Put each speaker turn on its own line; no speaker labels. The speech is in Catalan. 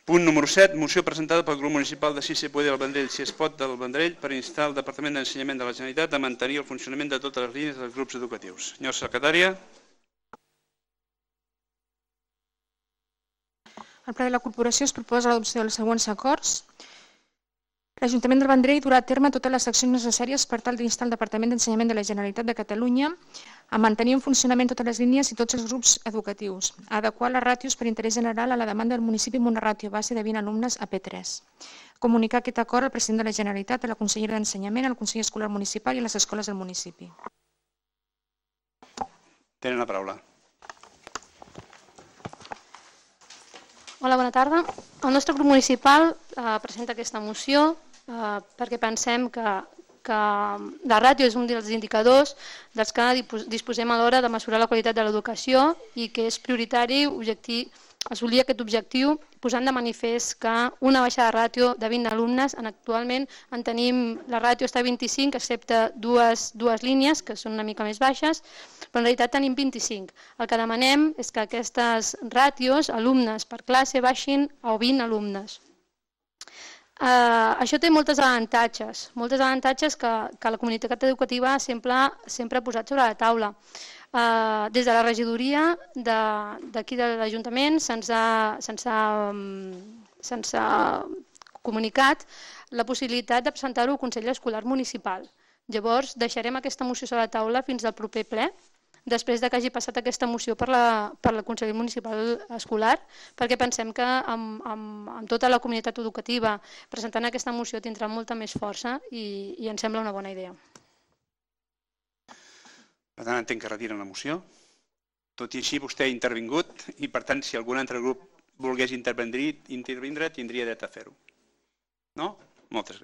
Punt número 7, moció presentada pel grup municipal de Si se puede del Vendrell, si es pot del Vendrell, per instar el Departament d'Ensenyament de la Generalitat a mantenir el funcionament de totes les línies dels grups educatius. Senyora secretària.
Al ple de la corporació es proposa l'adopció dels següents acords. L'Ajuntament del Vendrell durà a terme totes les accions necessàries per tal d'instar el Departament d'Ensenyament de la Generalitat de Catalunya a mantenir en funcionament totes les línies i tots els grups educatius, a adequar les ràtios per interès general a la demanda del municipi amb una ràtio base de 20 alumnes a P3. Comunicar aquest acord al president de la Generalitat, a la consellera d'Ensenyament, al Consell Escolar Municipal i a les escoles del municipi.
Tenen la paraula.
Hola, bona tarda. El nostre grup municipal presenta aquesta moció perquè pensem que la ràtio és un dels indicadors dels que disposem a l'hora de mesurar la qualitat de l'educació i que és prioritari assolir aquest objectiu posant de manifest que una baixa de ràtio de 20 alumnes, actualment en tenim, la ràtio està a 25 excepte dues línies que són una mica més baixes, però en realitat tenim 25. El que demanem és que aquestes ràtios, alumnes per classe, baixin a 20 alumnes. Això té molts avantatges que la comunitat educativa sempre ha posat sobre la taula. Des de la regidoria d'aquí de l'Ajuntament se'ns ha comunicat la possibilitat de presentar-ho al Consell Escolar Municipal. Llavors deixarem aquesta moció sobre la taula fins al proper ple, després que hagi passat aquesta moció per la Consell Municipal Escolar, perquè pensem que amb tota la comunitat educativa presentant aquesta moció tindrà molta més força i ens sembla una bona idea.
Per tant, entenc que retiren la moció. Tot i així, vostè ha intervingut i, per tant, si algun altre grup volgués intervindre, tindria dret a fer-ho. No? Moltes